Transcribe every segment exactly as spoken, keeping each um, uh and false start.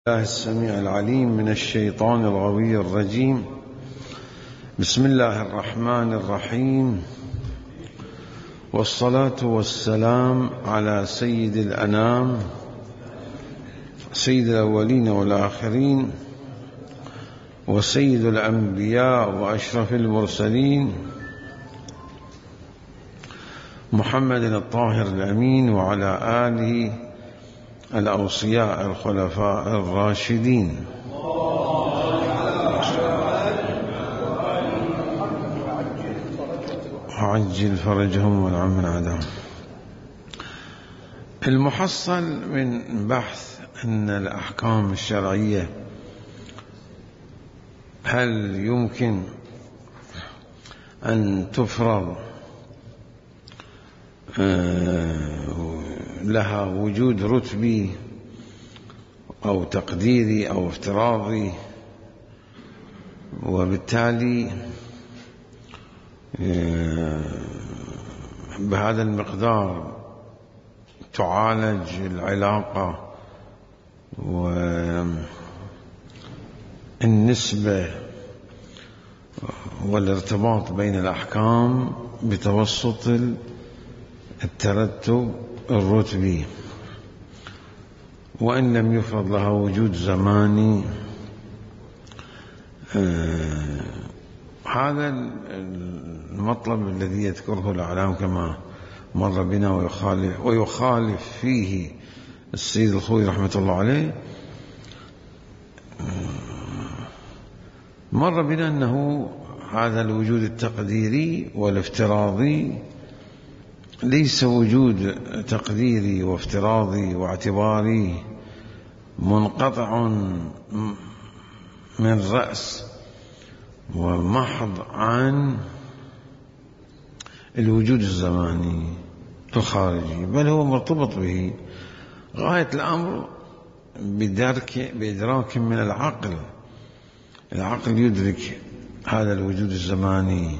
الله السميع العليم من الشيطان الغوي الرجيم. بسم الله الرحمن الرحيم، والصلاة والسلام على سيد الأنام سيد الأولين والآخرين وسيد الأنبياء وأشرف المرسلين محمد الطاهر الأمين، وعلى آله الأوصياء الخلفاء الراشدين. وعجل فرجهم والعم من عداهم. المحصل من بحث أن الأحكام الشرعية هل يمكن أن تفرض لها وجود رتبي أو تقديري أو افتراضي، وبالتالي بهذا المقدار تعالج العلاقة والنسبة والارتباط بين الأحكام بتوسط الترتب الرتبي، وإن لم يفرض لها وجود زماني. آه هذا المطلب الذي يذكره الأعلام كما مر بنا ويخالف, ويخالف فيه السيد الخوي رحمة الله عليه. مر بنا أنه هذا الوجود التقديري والافتراضي ليس وجود تقديري وافتراضي واعتباري منقطع من رأس ومحض عن الوجود الزماني الخارجي، بل هو مرتبط به. غاية الأمر بدرك بإدراك من العقل. العقل يدرك هذا الوجود الزماني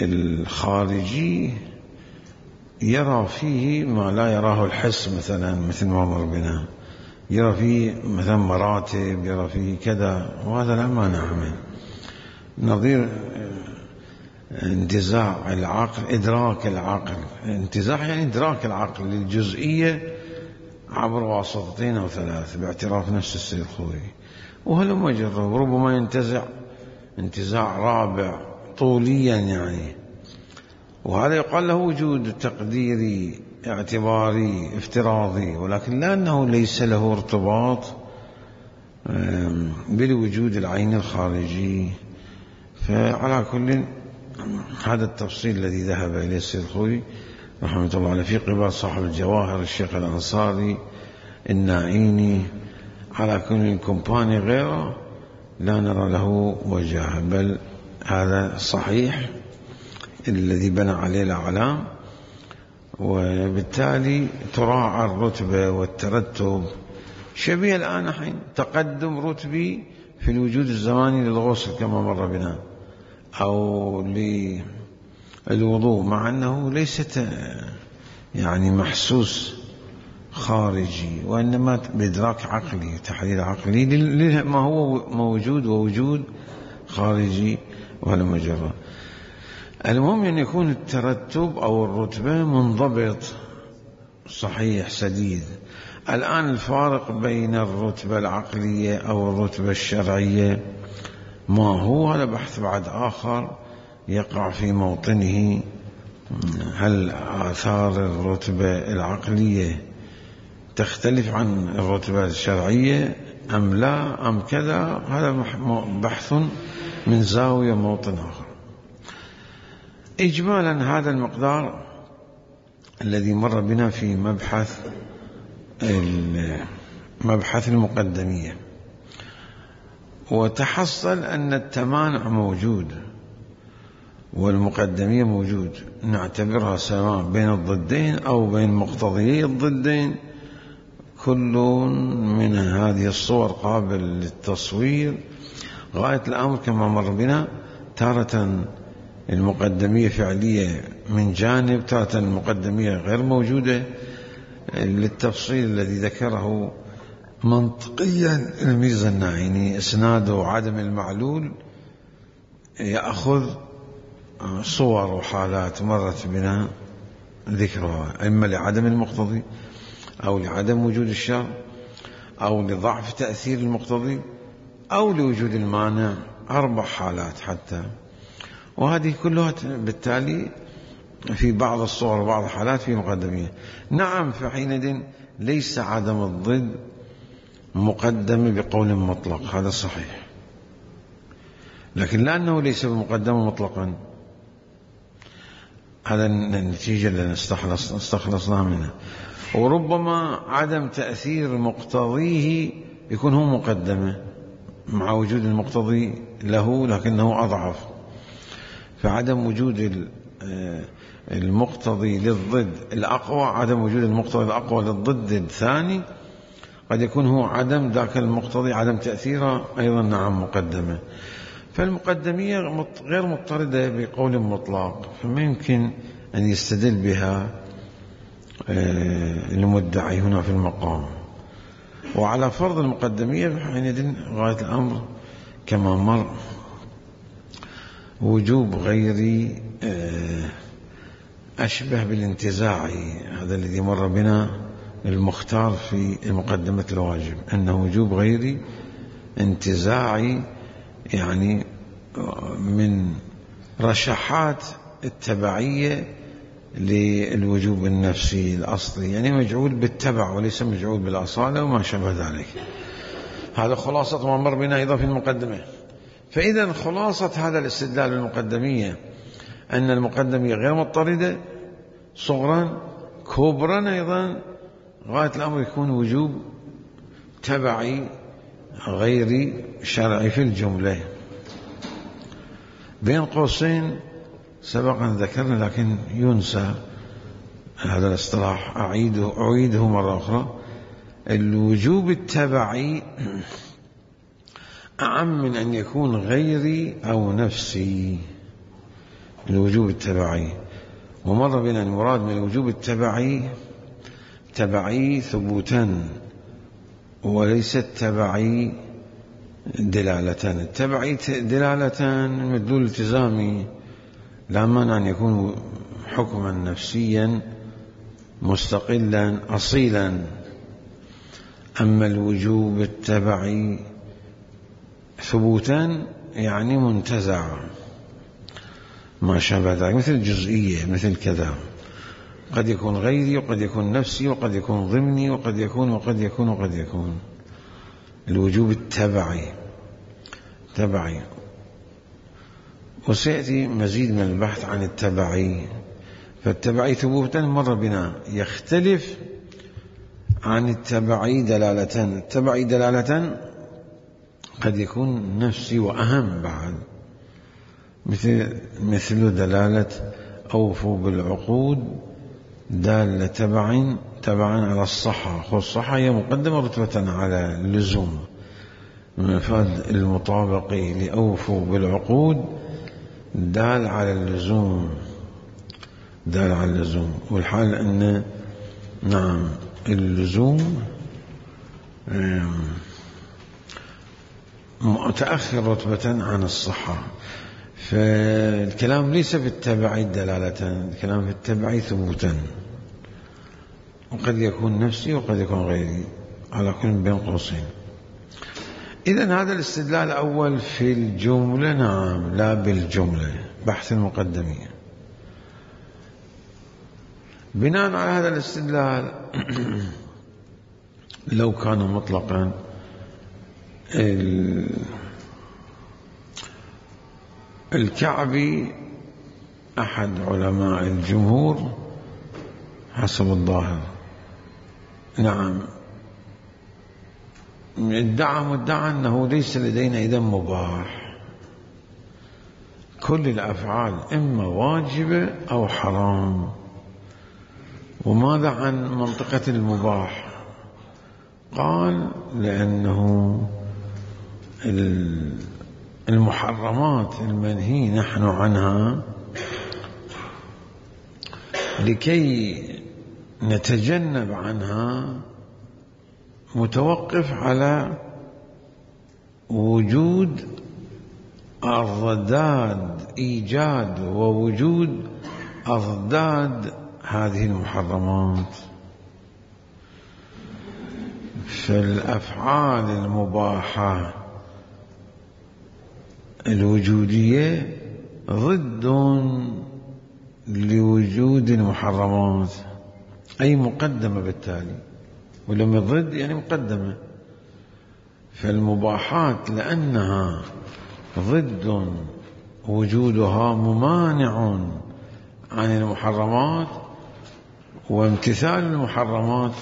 الخارجي، يرى فيه ما لا يراه الحس، مثلا مثل ما مر بنا، يرى فيه مثلا مراتب، يرى فيه كذا، وهذا لا مانع منه. نظير انتزاع العقل، إدراك العقل، انتزاع يعني إدراك العقل للجزئية عبر واسطتين أو ثلاث باعتراف نفس السيد الخوي، وهلم مجرب ربما ينتزع انتزاع رابع طوليا يعني، وهذا يقال له وجود تقديري اعتباري افتراضي، ولكن لأنه ليس له ارتباط بالوجود العين الخارجي. فعلى كل هذا التفصيل الذي ذهب إليه السيد الخوي رحمة الله عليه في قبال صاحب الجواهر الشيخ الأنصاري الناعيني، على كل كومباني غيره لا نرى له وجهه، بل هذا صحيح الذي بنى عليه الأعلام. وبالتالي تراعى الرتبة والترتب، شبيه الآن حين تقدم رتبي في الوجود الزماني للغسل كما مر بنا، أو للوضوء، مع أنه ليست يعني محسوس خارجي، وإنما بإدراك عقلي تحليل عقلي لما هو موجود ووجود خارجي ولا مجرد. المهم أن يكون الترتب أو الرتبة منضبط صحيح سديد. الآن الفارق بين الرتبة العقلية أو الرتبة الشرعية ما هو؟ هذا بحث بعد آخر يقع في موطنه. هل آثار الرتبة العقلية تختلف عن الرتبة الشرعية أم لا أم كذا؟ هذا بحث من زاوية موطن آخر. إجمالا هذا المقدار الذي مر بنا في مبحث مبحث المقدمية، وتحصل أن التمانع موجود والمقدمية موجود، نعتبرها سواء بين الضدين أو بين مقتضيي الضدين. كل من هذه الصور قابل للتصوير. غاية الأمر كما مر بنا تارة المقدمية فعلية من جانب، تارة المقدمية غير موجودة، للتفصيل الذي ذكره منطقيا الميزة الناعيني اسناده عدم المعلول يأخذ صور وحالات مرت بنا ذكرها، إما لعدم المقتضي أو لعدم وجود الشر أو لضعف تأثير المقتضي أو لوجود المانع، أربع حالات حتى، وهذه كلها بالتالي في بعض الصور وبعض الحالات في مقدمية. نعم، فحينئذ ليس عدم الضد مقدم بقول مطلق، هذا صحيح، لكن لأنه ليس بمقدم مطلقا، هذا النتيجة اللي نستخلص استخلصناها منها. وربما عدم تأثير مقتضيه يكون هو مقدمة مع وجود المقتضي له لكنه أضعف، فعدم وجود المقتضي للضد الأقوى، عدم وجود المقتضي الأقوى للضد الثاني قد يكون هو عدم ذاك المقتضي، عدم تأثيره أيضا نعم مقدمة. فالمقدمية غير مضطردة بقول مطلق، فما يمكن أن يستدل بها المدعي هنا في المقام. وعلى فرض المقدمية حينئذ غاية الأمر كما مر وجوب غيري أشبه بالانتزاع، هذا الذي مر بنا المختار في مقدمة الواجب، أنه وجوب غيري انتزاعي، يعني من رشحات التبعية للوجوب النفسي الأصلي، يعني مجعول بالتبع وليس مجعول بالأصالة وما شابه ذلك. هذا خلاصة ما مر بنا أيضا في المقدمة. فإذا خلاصة هذا الاستدلال المقدمية أن المقدمية غير مضطردة صغرا، كبرا أيضا غاية الأمر يكون وجوب تبعي غير شرعي في الجملة. بين قوسين سبقا ذكرنا لكن ينسى هذا الاصطلاح، أعيده, أعيده مرة أخرى، الوجوب التبعي أعم من أن يكون غيري أو نفسي. الوجوب التبعي، ومر بنا المراد من الوجوب التبعي تبعي ثبوتا وليس التبعي دلالة. التبعي دلالة مدلول التزامي، لا مانع أن يكون حكما نفسيا مستقلا أصيلا. أما الوجوب التبعي ثبوتا يعني منتزع ما شابه ذلك، مثل الجزئية، مثل كذا، قد يكون غيري وقد يكون نفسي وقد يكون ضمني وقد يكون وقد يكون وقد يكون. الوجوب التبعي تبعي، وسيأتي مزيد من البحث عن التبعي. فالتبعي ثبوتا مر بنا يختلف عن التبعي دلالة. التبعي دلالة قد يكون نفسي وأهم بعد، مثل مثل دلالة أوفوا بالعقود دالة تبع تبعا على الصحة. الصحة هي مقدمة رتبة على اللزوم، من مفاد المطابق لأوفوا بالعقود دال على اللزوم، دال على اللزوم. والحال أن نعم اللزوم متأخر رتبة عن الصحة. فالكلام ليس في التبعي دلالة، الكلام في التبعي ثبوتا، وقد يكون نفسي وقد يكون غيري على كل بين قوسين. إذن هذا الاستدلال الأول في الجملة، نعم، لا بالجملة، بحث المقدمية. بناء على هذا الاستدلال لو كان مطلقا الكعبي أحد علماء الجمهور حسب الظاهر، نعم، ادعى مدعى أنه ليس لدينا إذن مباح، كل الأفعال إما واجبة أو حرام. وماذا عن منطقة المباح؟ قال لأنه المحرمات المنهي نحن عنها لكي نتجنب عنها متوقف على وجود أضداد إيجاد ووجود أضداد هذه المحرمات. فالأفعال المباحة الوجودية ضد لوجود المحرمات، أي مقدمة بالتالي، ولما ضد يعني مقدمة. فالمباحات لأنها ضد وجودها ممانع عن المحرمات، وامتثال المحرمات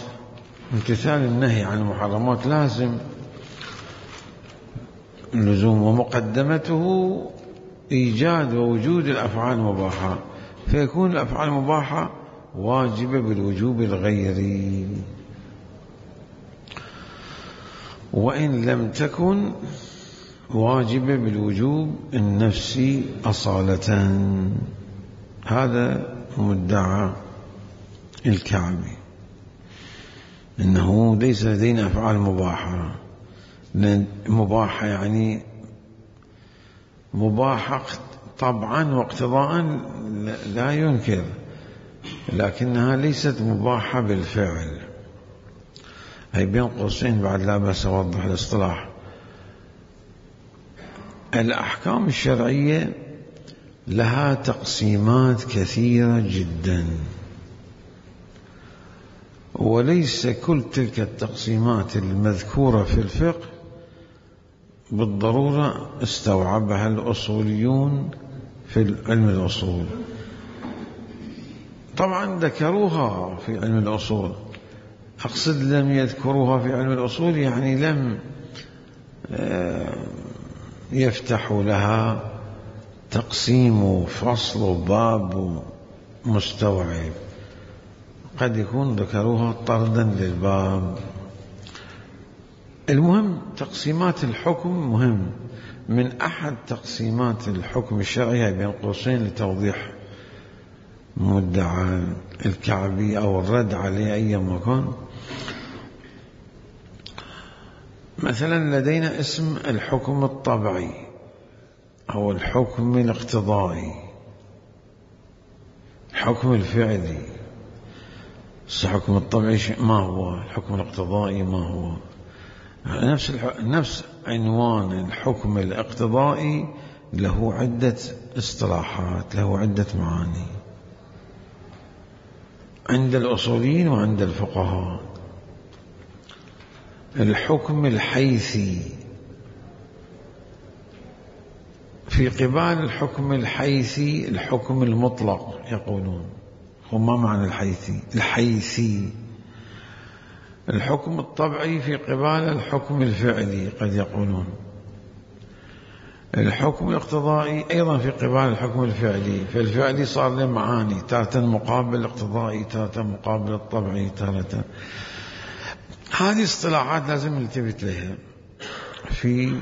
امتثال النهي عن المحرمات لازم اللزوم، ومقدمته إيجاد ووجود الأفعال المباحة، فيكون الأفعال المباحة واجبة بالوجوب الغيري، وإن لم تكن واجبة بالوجوب النفسي أصالة. هذا مدعى الكعبي، إنه ليس لدينا أفعال مباحة. مباحة يعني مباحة طبعا واقتضاء لا ينكر، لكنها ليست مباحة بالفعل. هي بين قوسين بعد لا بأس أوضح الاصطلاح. الأحكام الشرعية لها تقسيمات كثيرة جدا، وليس كل تلك التقسيمات المذكورة في الفقه بالضرورة استوعبها الأصوليون في علم الأصول. طبعا ذكروها في علم الأصول، أقصد لم يذكروها في علم الأصول يعني لم يفتحوا لها تقسيم وفصل وباب مستوعب، قد يكون ذكروها طردا للباب. المهم تقسيمات الحكم مهم. من أحد تقسيمات الحكم الشرعي بين قوسين لتوضيح مدعى الكعبي أو الرد عليه أي مكان، مثلا لدينا اسم الحكم الطبعي أو الحكم الاقتضائي، الحكم الفعلي. الحكم الطبعي ما هو؟ الحكم الاقتضائي ما هو؟ نفس نفس عنوان الحكم الاقتضائي له عدة اصطلاحات، له عدة معاني عند الأصوليين وعند الفقهاء. الحكم الحيثي، في قبال الحكم الحيثي الحكم المطلق يقولون. وما معنى الحيثي؟ الحيثي الحكم الطبعي في قبال الحكم الفعلي قد يقولون. الحكم الاقتضائي أيضا في قبال الحكم الفعلي، فالفعلي صار له معاني، تارة مقابل الاقتضائي، تارة مقابل الطبعي، تارة. هذه اصطلاحات لازم نلتفت لها في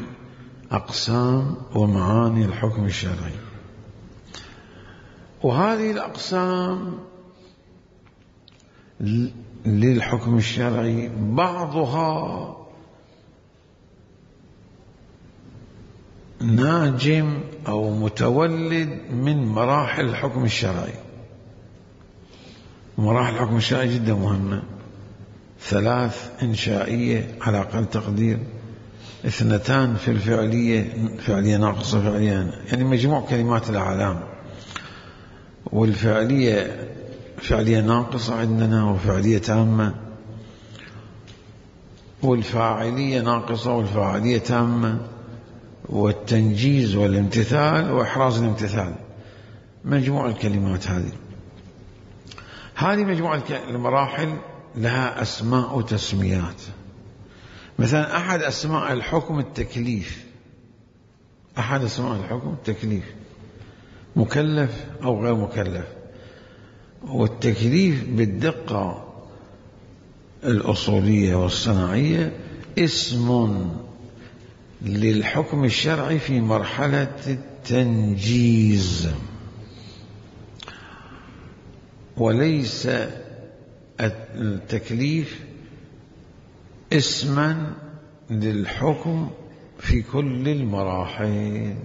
أقسام ومعاني الحكم الشرعي. وهذه الأقسام للحكم الشرعي بعضها ناجم أو متولد من مراحل الحكم الشرعي. مراحل الحكم الشرعي جدا مهمة، ثلاث إنشائية على أقل تقدير، اثنتان في الفعلية، فعلية ناقصة فعلية يعني مجموع كلمات الأعلام، والفعلية فعلية ناقصة عندنا وفعلية تامة، والفاعلية ناقصة والفاعلية تامة، والتنجيز والامتثال وإحراز الامتثال. مجموع الكلمات هذه هذه مجموعة المراحل لها أسماء وتسميات. مثلا أحد أسماء الحكم التكليف، أحد أسماء الحكم التكليف، مكلف أو غير مكلف. والتكليف بالدقة الأصولية والصناعية اسم للحكم الشرعي في مرحلة التنجيز، وليس التكليف اسما للحكم في كل المراحل،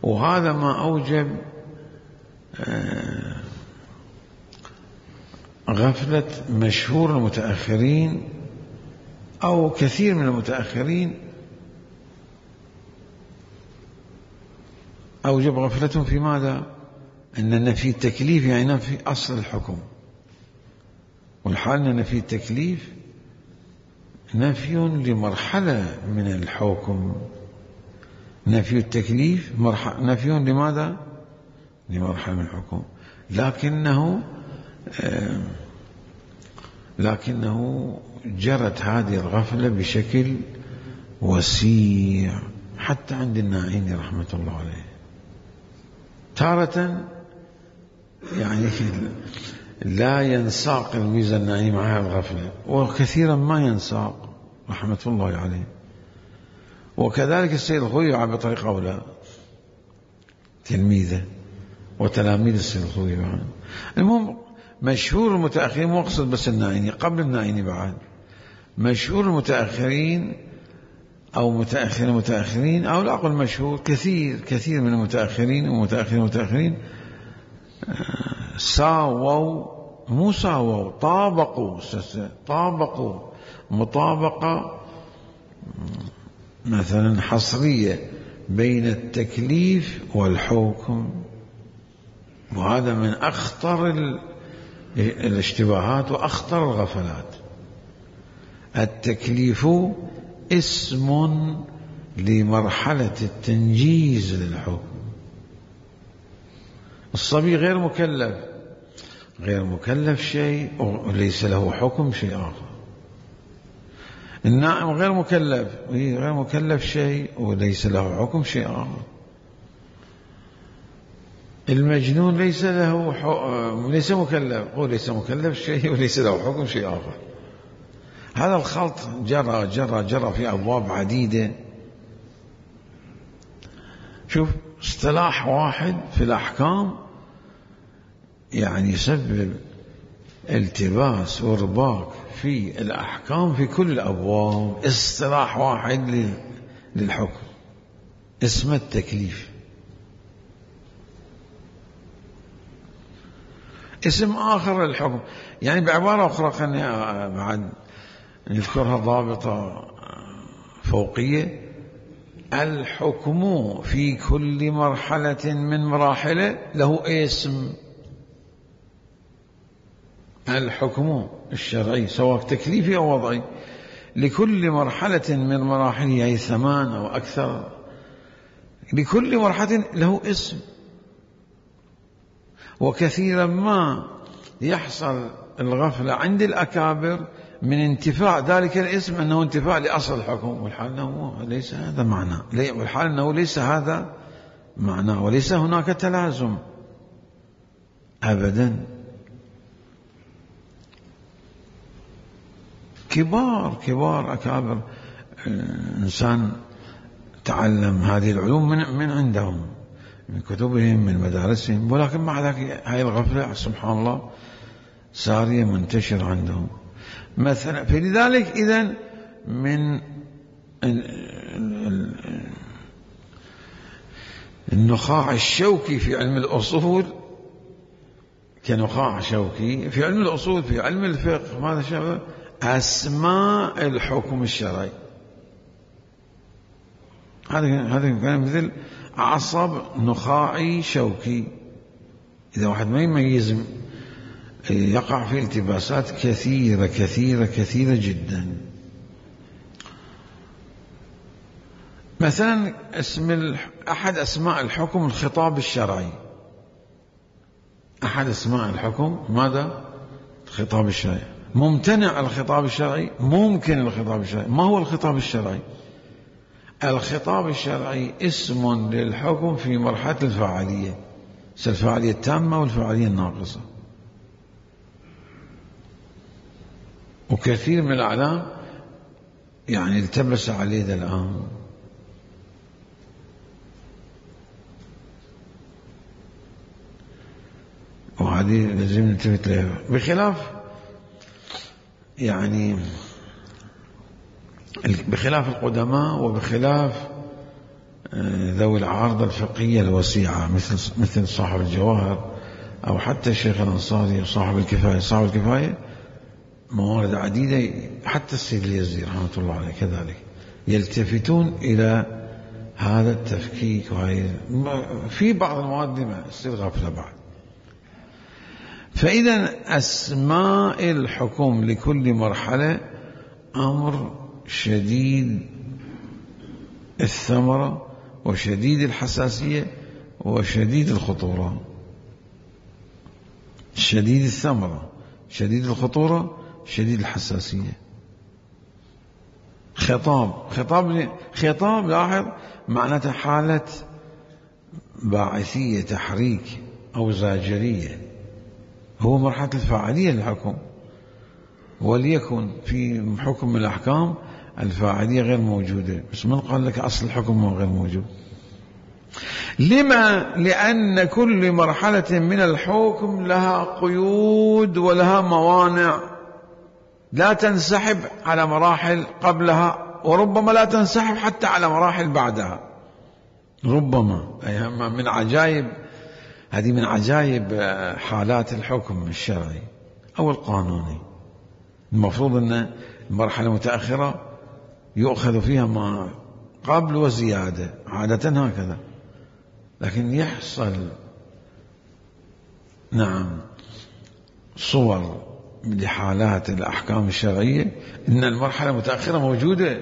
وهذا ما أوجب غفلة مشهور المتأخرين أو كثير من المتأخرين، أوجب غفلتهم في ماذا؟ أن نفي التكليف يعني نفي أصل الحكم، والحال أن نفي التكليف نفي لمرحلة من الحكم. نفي التكليف نفي لماذا؟ لمرحلة من الحكم، لكنه آه لكنه جرت هذه الغفلة بشكل وسيع حتى عند الناعيني رحمة الله عليه. تارة يعني لا ينساق الميزة الناعيني معها الغفلة، وكثيرا ما ينساق رحمة الله عليه. وكذلك السيد الخوئي بطريقة أولى تلميذه وتلاميذ السيد الخوئي بعد. المهم مشهور المتأخرين، مو أقصد بس الناعيني، قبل الناعيني بعد مشهور المتأخرين أو متأخر المتأخرين أو لا أقول مشهور، كثير كثير من المتأخرين ومتأخرين المتأخرين ساووا، مو ساووا، طابقوا طابقوا مطابقة مثلا حصرية بين التكليف والحكم، وهذا من أخطر الاشتباهات وأخطر الغفلات. التكليف اسم لمرحلة التنجيز للحكم. الصبي غير مكلف، غير مكلف شيء وليس له حكم شيء آخر. النائم غير مكلف، غير مكلف شيء وليس له حكم شيء آخر. المجنون ليس له حكم، ليس مكلف، وليس مكلف شيء وليس له حكم شيء آخر. هذا الخلط جرى جرى جرى في أبواب عديدة. شوف اصطلاح واحد في الأحكام يعني يسبب التباس ورباك في الأحكام في كل الأبواب. اصطلاح واحد للحكم اسمه التكليف. اسم آخر للحكم، يعني بعبارة أخرى خلينا بعد نذكرها ضابطة فوقية. الحكم في كل مرحلة من مراحله له اسم. الحكم الشرعي سواء تكليفي أو وضعي لكل مرحلة من مراحله، أي ثمان أو أكثر، لكل مرحلة له اسم. وكثيرا ما يحصل الغفلة عند الأكابر من انتفاع ذلك الاسم أنه انتفاع لأصل الحكم، والحال أنه ليس هذا معنى، والحال أنه ليس هذا معنى، وليس هناك تلازم أبدا. كبار كبار أكابر إنسان تعلم هذه العلوم من من عندهم، من كتبهم، من مدارسهم، ولكن مع ذلك هاي الغفلة سبحان الله سارية منتشرة عندهم مثلا. فلذلك إذن من النخاع الشوكي في علم الأصول كنخاع شوكي في علم الأصول في علم الفقه، ماذا شابه؟ أسماء الحكم الشرعي. هذا هذا كان مثل عصب نخاعي شوكي. إذا واحد ما يميز يقع في التباسات كثيرة كثيرة كثيرة جدا. مثلا اسم أحد أسماء الحكم الخطاب الشرعي. أحد أسماء الحكم ماذا؟ الخطاب الشرعي. ممتنع الخطاب الشرعي، ممكن الخطاب الشرعي. ما هو الخطاب الشرعي؟ الخطاب الشرعي اسم للحكم في مرحلة الفاعلية، الفاعلية التامة والفاعلية الناقصة. وكثير من الأعلام يعني التبس عليه ذا الآن. وهذه لازم نلتفت لها، بخلاف يعني بخلاف القدماء وبخلاف ذوي العارضة الفقهية الوسيعة مثل مثل صاحب الجواهر أو حتى الشيخ الأنصاري وصاحب الكفاية. صاحب الكفاية موارد عديدة، حتى السيد اليزيد رحمة الله عليه كذلك يلتفتون إلى هذا التفكيك، وهي في بعض المواد ما تصير غفلة بعد. فإذا أسماء الحكم لكل مرحلة أمر شديد الثمرة وشديد الحساسية وشديد الخطورة. شديد الثمرة، شديد الخطورة، شديد الحساسية. خطاب خطاب خطاب لاحظ معناته حالة باعثية، تحريك أو زاجرية، هو مرحلة الفاعلية للحكم. وليكن في حكم من الأحكام الفاعلية غير موجودة، بس من قال لك أصل الحكم غير موجود؟ لما؟ لأن كل مرحلة من الحكم لها قيود ولها موانع لا تنسحب على مراحل قبلها، وربما لا تنسحب حتى على مراحل بعدها. ربما من عجائب هذه من عجائب حالات الحكم الشرعي أو القانوني. المفروض أن المرحلة المتأخرة يؤخذ فيها ما قبل وزيادة، عادة هكذا، لكن يحصل نعم صور لحالات الأحكام الشرعية إن المرحلة المتأخرة موجودة،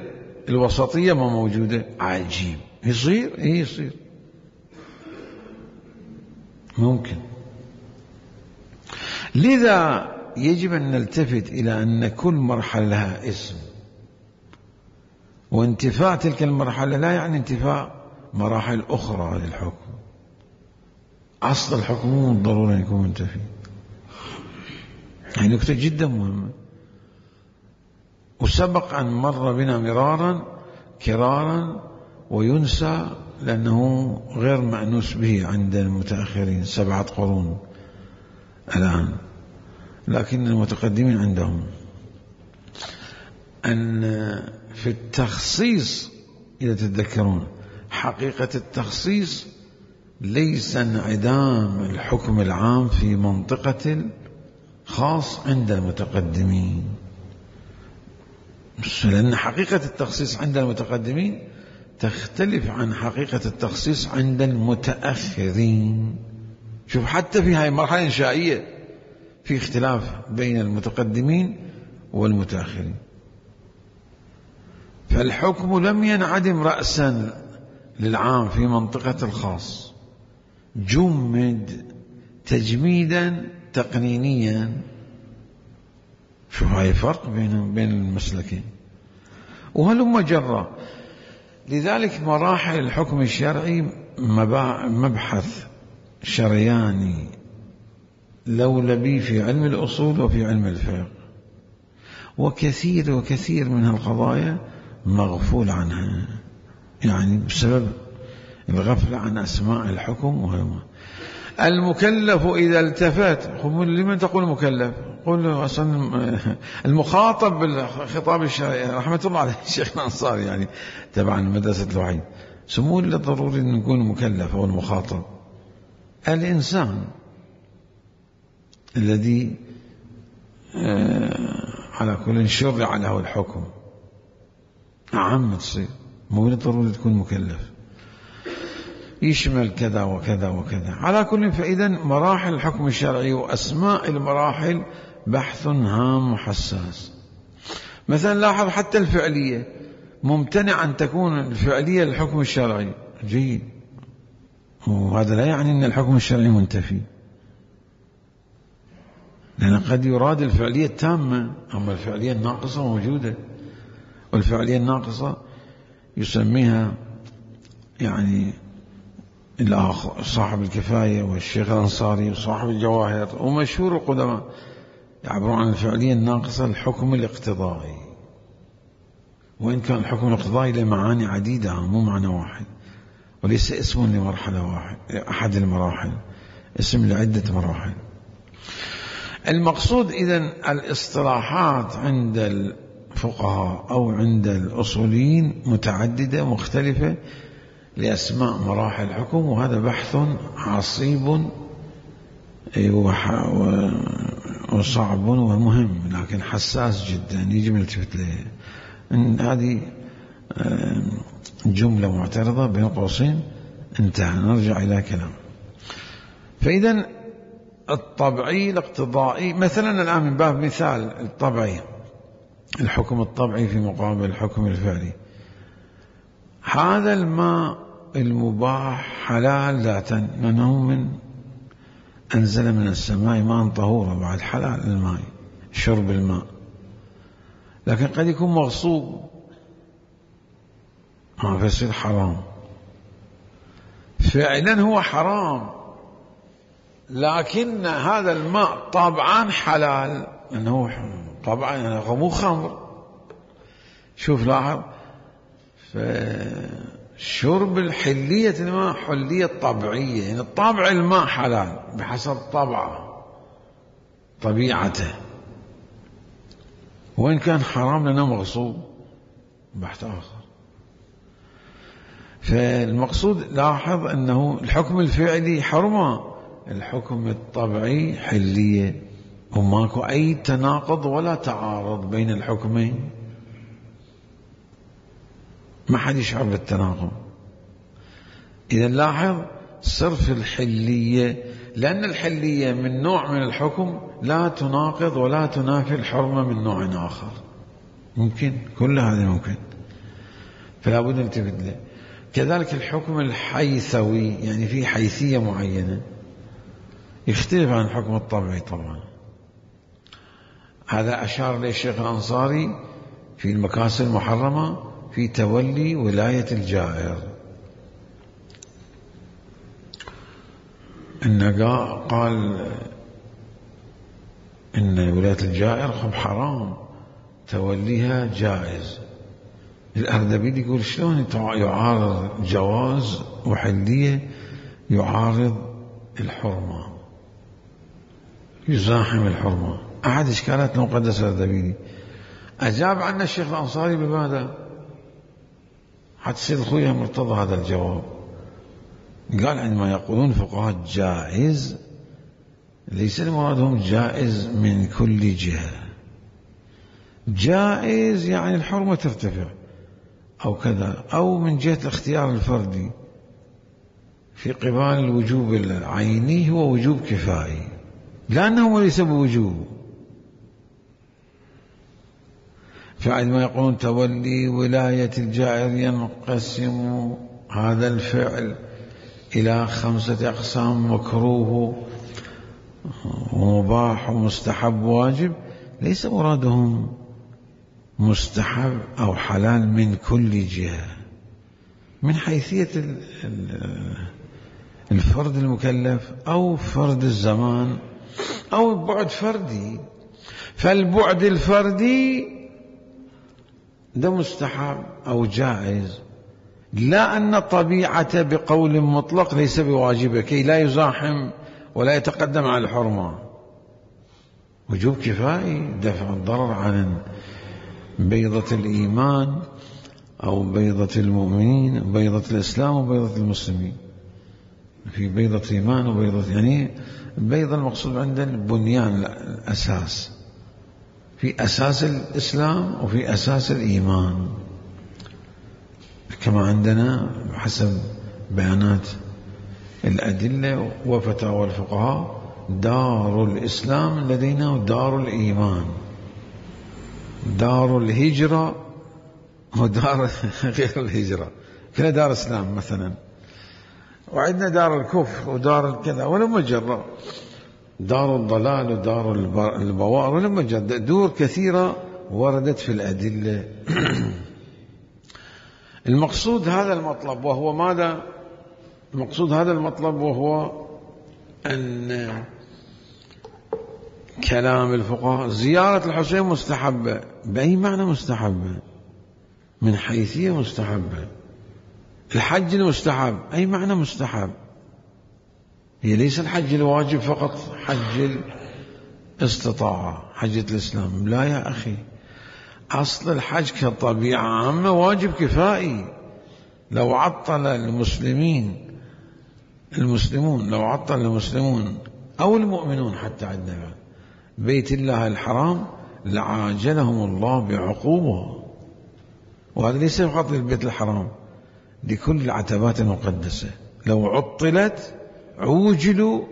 الوسطية ما موجودة. عجيب. يصير إيه يصير ممكن. لذا يجب أن نلتفت إلى أن كل مرحلة لها اسم، وانتفاء تلك المرحلة لا يعني انتفاء مراحل أخرى للحكم. أصل الحكم مو بالضرورة يكون منتفي. هذه نكتة جدا مهمة، وسبق أن مر بنا مرارا كرارا وينسى لأنه غير مأنوس به عند المتأخرين، سبعة قرون الآن، لكن المتقدمين عندهم أن في التخصيص إذا تتذكرون حقيقة التخصيص ليس انعدام الحكم العام في منطقة خاص عند المتقدمين، لأن حقيقة التخصيص عند المتقدمين تختلف عن حقيقة التخصيص عند المتأخرين. شوف حتى في هذه المرحلة الإنشائية في اختلاف بين المتقدمين والمتأخرين. فالحكم لم ينعدم رأسا للعام في منطقة الخاص، جمد تجميدا تقنينيا. شوف هاي فرق بين بين المسلكين وهلم جرى. لذلك مراحل الحكم الشرعي مبحث شرياني لولبي في علم الأصول وفي علم الفقه، وكثير وكثير من القضايا مغفول عنها، يعني بسبب الغفلة عن أسماء الحكم. وهم المكلف إذا التفت، لمن تقول مكلف؟ قل أصلا المخاطب بالخطاب الشرعي رحمة الله عليه الشيخ الأنصاري، يعني تبعا مدرسة الوحيد، سموه للضروري أن يكون مكلف أو المخاطب الإنسان الذي على كل شرع له الحكم. عام تصير مو بالضروري تكون مكلف، يشمل كذا وكذا وكذا. على كل فإذا مراحل الحكم الشرعي وأسماء المراحل بحث هام وحساس. مثلا لاحظ حتى الفعلية ممتنع أن تكون الفعلية للحكم الشرعي، جيد، وهذا لا يعني أن الحكم الشرعي منتفي، لأن قد يراد الفعلية التامة، أما الفعلية الناقصة موجودة. والفعلية الناقصة يسميها يعني صاحب الكفاية والشيخ الأنصاري وصاحب الجواهر ومشهور القدماء يعبرون عن الفعلية الناقصة الحكم الاقتضائي، وإن كان الحكم الاقتضائي له معاني عديدة مو معنى واحد، وليس اسم لمرحلة واحد أحد المراحل، اسم لعدة مراحل. المقصود إذن الاصطلاحات عند الفقهاء أو عند الأصوليين متعددة مختلفة لأسماء مراحل الحكم، وهذا بحث عصيب وصعب ومهم لكن حساس جدا يجب نلتفت له. هذه جملة معترضة بين قوسين انتهى، نرجع إلى كلام. فإذا الطبعي الاقتضائي مثلا الآن من باب مثال الطبعي، الحكم الطبعي في مقابل الحكم الفعلي، هذا الماء المباح حلال ذاتا لأنه من أنزل من السماء ماء طهورا، بعد حلال الماء شرب الماء، لكن قد يكون مغصوب ما فيصير حرام. فعلا هو حرام لكن هذا الماء طبعا حلال لأنه طبعا يعني مو خمر. شوف لاحظ، فشرب الحلية الماء حلية طبيعية، يعني الطبع الماء حلال بحسب طبعه طبيعته، وإن كان حرام لأنه مغصوب بحث آخر. فالمقصود لاحظ أنه الحكم الفعلي حرمة، الحكم الطبعي حلية، وماكو أي تناقض ولا تعارض بين الحكمين، ما حد يشعر بالتناقض. إذا لاحظ صرف الحلية، لأن الحلية من نوع من الحكم لا تناقض ولا تنافي الحرمة من نوع آخر، ممكن كل هذا ممكن، فلا بد نلتفت له. كذلك الحكم الحيثوي، يعني في حيثية معينة يختلف عن الحكم الطبيعي طبعا. هذا أشار إليه الشيخ الأنصاري في المكاسب المحرمة في تولي ولاية الجائر، إن قال إن ولاية الجائر خب حرام، توليها جائز. الأردبيل يقول شلون يعارض جواز وحلية يعارض الحرمة، يزاحم الحرمة. أحد إشكالات المقدس الأردبيلي أجاب عنه الشيخ الأنصاري بماذا؟ حتى سيد الخوي مرتضى هذا الجواب، قال عندما يقولون فقهاء جائز ليس المرادهم جائز من كل جهة، جائز يعني الحرمة ترتفع أو كذا، أو من جهة الاختيار الفردي في قبال الوجوب العيني هو وجوب كفائي، لأنه ليس بوجوب. فعندما يقولون تولي ولاية الجائر ينقسم هذا الفعل إلى خمسة أقسام: مكروه ومباح ومستحب وواجب، ليس مرادهم مستحب أو حلال من كل جهة، من حيثية الفرد المكلف أو فرد الزمان أو بعد فردي. فالبعد الفردي ده مستحب أو جائز، لا أن طبيعة بقول مطلق ليس بواجبة كي لا يزاحم ولا يتقدم على الحرمة. وجوب كفائي دفع الضرر عن بيضة الإيمان أو بيضة المؤمنين، بيضة الإسلام وبيضة المسلمين. في بيضة إيمان وبيضة، يعني البيضة المقصود عندنا البنيان الأساس، في أساس الإسلام وفي أساس الإيمان، كما عندنا حسب بيانات الأدلة وفتاوى الفقهاء دار الإسلام لدينا ودار الإيمان، دار الهجرة ودار غير الهجرة، كلا دار إسلام مثلا، وعندنا دار الكفر ودار الكذا، ولما جرى دار الضلال ودار البوار، ولما جرى دور كثيرة وردت في الأدلة. المقصود هذا المطلب، وهو ماذا؟ المقصود هذا المطلب وهو أن كلام الفقهاء زيارة الحسين مستحبة. بأي معنى مستحبة؟ من حيثية مستحبة. الحج المستحب، أي معنى مستحب؟ هي ليس الحج الواجب فقط، حج الاستطاعة، حجة الإسلام، لا يا أخي. أصل الحج كطبيعة عامة واجب كفائي. لو عطل المسلمين المسلمون لو عطل المسلمون أو المؤمنون حتى عندنا بيت الله الحرام لعاجلهم الله بعقوبة. وهذا ليس فقط للبيت الحرام، لكل العتبات المقدسة لو عطلت عوجلوا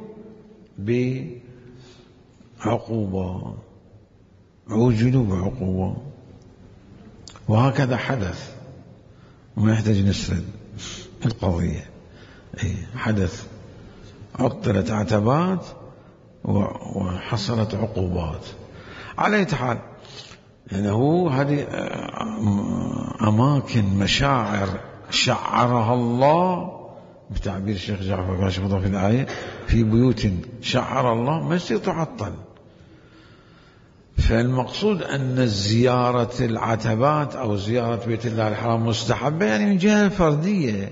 بعقوبة عوجلوا بعقوبة. وهكذا حدث، وما يحتاج نسرد القضية. حدث، عطلت عتبات وحصلت عقوبات. على أي حال يعني هو هذه أماكن مشاعر شعرها الله بتعبير الشيخ جعفر كاشف في الآية، في بيوت شعر الله ما يصير تعطل. فالمقصود أن زيارة العتبات أو زيارة بيت الله الحرام مستحبة، يعني من جهة فردية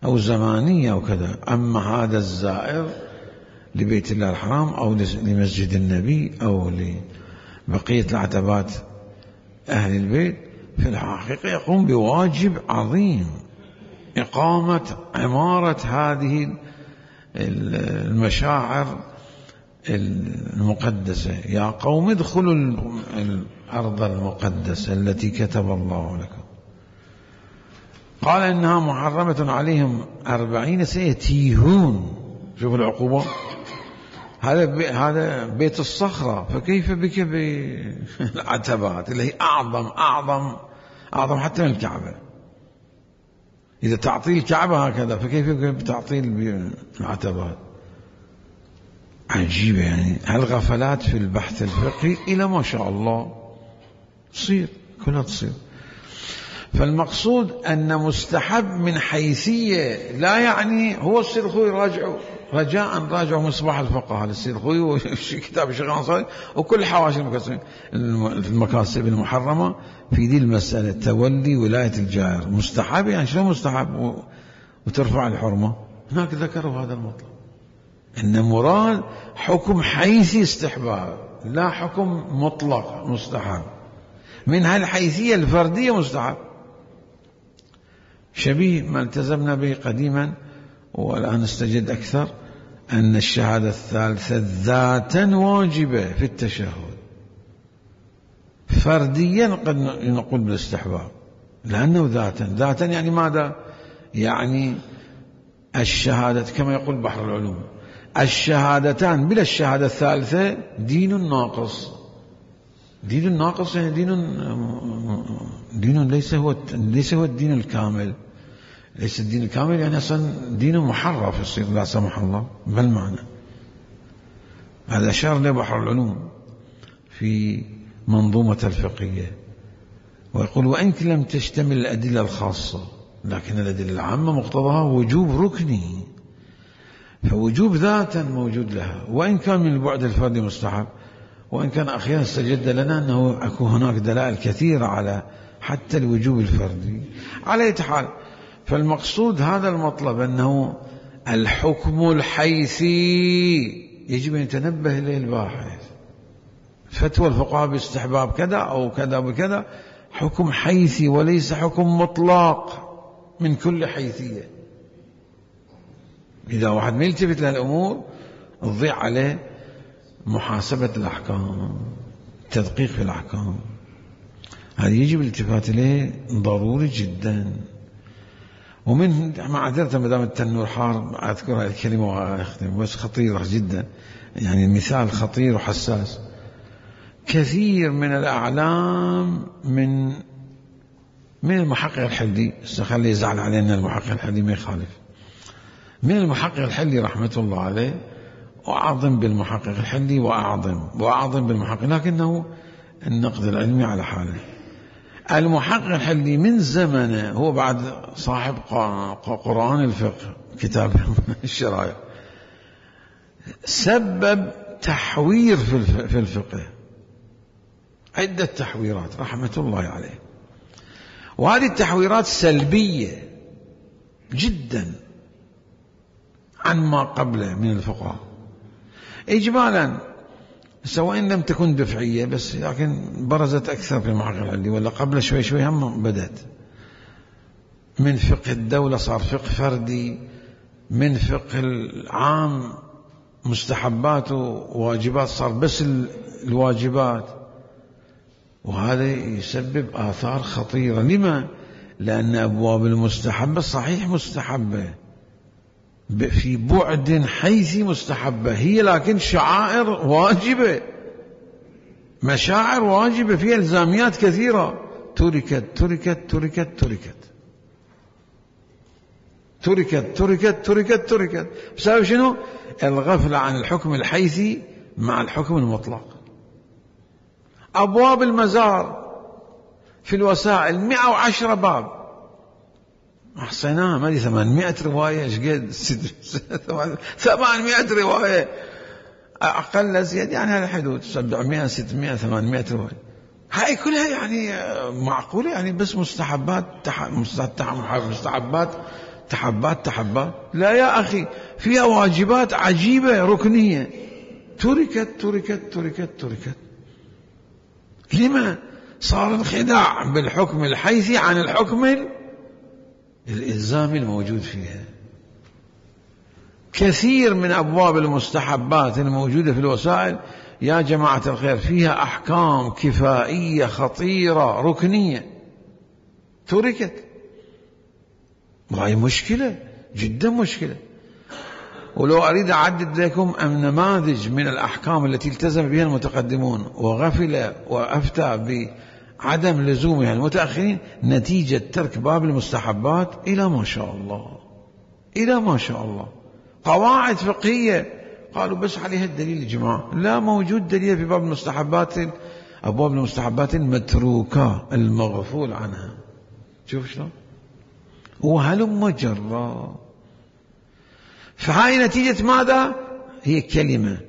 أو زمانية أو كذا. أما هذا الزائر لبيت الله الحرام أو لمسجد النبي أو لبقية العتبات أهل البيت، في الحقيقة يقوم بواجب عظيم، إقامة عمارة هذه المشاعر المقدسة. يا قوم ادخلوا الأرض المقدسة التي كتب الله لكم. قال إنها محرمة عليهم أربعين سنة يتيهون. شوفوا العقوبة، هذا بي هذا بيت الصخرة، فكيف بك بالعتبات اللي هي أعظم أعظم أعظم حتى من الكعبة. إذا تعطيل الكعبة هكذا، فكيف بتعطيل العتبات؟ عجيبة يعني. هالغفلات في البحث الفقهي إلى ما شاء الله تصير، كلها تصير. فالمقصود أن مستحب من حيثية لا يعني هو السيد الخوي راجعوا رجاء راجعوا مصباح الفقهاء للسيد الخوي وكتاب الشيخ الأنصاري وكل حواشي المكاسب المحرمة في دي المسألة، تولي ولاية الجائر مستحب. يعني شنو مستحب وترفع الحرمة؟ هناك ذكروا هذا المطلب، إن مراد حكم حيثي استحباب لا حكم مطلق مستحب. من هالحيثية الفردية مستحب، شبيه ما التزمنا به قديما والآن نستجد أكثر، أن الشهادة الثالثة ذاتا واجبة في التشهد. فرديا قد نقول بالاستحباب لأنه ذاتا. ذاتا يعني ماذا؟ يعني الشهادة كما يقول بحر العلوم، الشهادتان بلا الشهادة الثالثة دين ناقص. دين ناقص يعني دين دين ليس هو ليس هو الدين الكامل. ليس الدين الكامل يعني أصلا دين محرف يصير لا سمح الله بالمعنى. هذا أشار له بحر العلوم في منظومة الفقهية، ويقول وإن لم تشتمل الأدلة الخاصة لكن الأدلة العامة مقتضاها وجوب ركني، فوجوب ذاتا موجود لها وإن كان من البعد الفردي مستحب. وإن كان أخيرا استجد لنا أنه أكون هناك دلائل كثيرة على حتى الوجوب الفردي. على أي حال، فالمقصود هذا المطلب أنه الحكم الحيثي يجب أن يتنبه إليه الباحث. فتوى الفقهاء باستحباب كذا أو كذا بكذا حكم حيثي وليس حكم مطلق من كل حيثية. إذا واحد ما يلتفت للأمور تضيع عليه محاسبة الأحكام، تدقيق في الأحكام. هذا يجب الالتفات إليه ضروري جدا. ومن معذرة مدام التنور حار أذكر هذه الكلمة وأختم، بس خطيرة جدا، يعني مثال خطير وحساس. كثير من الأعلام من من المحقق الحلي، استخلي يزعل علينا المحقق الحلي ما يخالف، من المحقق الحلي رحمة الله عليه، وأعظم بالمحقق الحلي وأعظم وأعظم بالمحقق، لكنه النقد العلمي على حاله. المحقق الحلي من زمنه هو بعد صاحب قرآن الفقه كتاب الشرائع، سبب تحوير في الفقه، عدة تحويرات رحمة الله عليه. وهذه التحويرات سلبية جدا عن ما قبله من الفقهاء. إجمالا سواء لم تكن دفعية بس لكن برزت أكثر في المعقل العلي، ولا قبل شوي شوي هم بدأت. من فقه الدولة صار فقه فردي، من فقه العام مستحبات وواجبات صار بس الواجبات، وهذا يسبب آثار خطيرة. لما؟ لأن أبواب المستحبة صحيح مستحبة في بعد حيثي مستحبة هي، لكن شعائر واجبة، مشاعر واجبة فيها إلزاميات كثيرة، تركت تركت تركت تركت تركت تركت تركت تركت بسبب شنو؟ الغفلة عن الحكم الحيثي مع الحكم المطلق. أبواب المزار في الوسائل مئة وعشرة باب، أحصيناها ما دي ثمانمائة رواية، ايش قد ثمانمائة رواية أقل زيادة يعني على حدود سبعمائة ستمائة ثمانمائة رواية. هاي كلها يعني معقولة يعني بس مستحبات تح... مستحبات تحبات تحبات؟ لا يا أخي، فيها واجبات عجيبة ركنية تركت تركت تركت تركت. لما؟ صار انخداع بالحكم الحيثي عن الحكم الإلزامي الموجود فيها. كثير من أبواب المستحبات الموجودة في الوسائل يا جماعة الخير فيها أحكام كفائية خطيرة ركنية تركت، وهي مشكلة جدا مشكلة. ولو أريد أعدد لكم نماذج من الأحكام التي التزم بها المتقدمون وغفل وأفتى بعدم لزومها المتأخرين نتيجة ترك باب المستحبات إلى ما شاء الله، إلى ما شاء الله. قواعد فقهية قالوا بس عليها الدليل يا جماعة، لا موجود دليل في باب المستحبات، أبواب المستحبات المتروكة المغفول عنها. شوف شلون؟ وهلم جرا. فهاي نتيجة ماذا؟ هي كلمة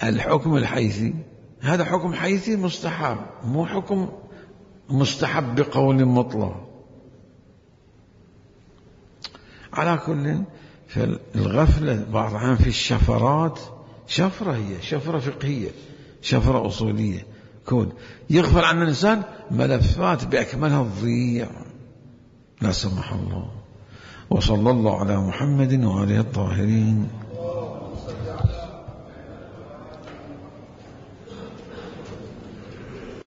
الحكم الحيثي، هذا حكم حيثي مستحب، مو حكم مستحب بقول مطلق. على كل فالغفلة بعض الأحيان في الشفرات، شفرة هي شفرة فقهية شفرة أصولية كود، يغفل عن الإنسان ملفات بأكملها تضيع لا سمح الله. وصلى الله على محمد وآله الطاهرين.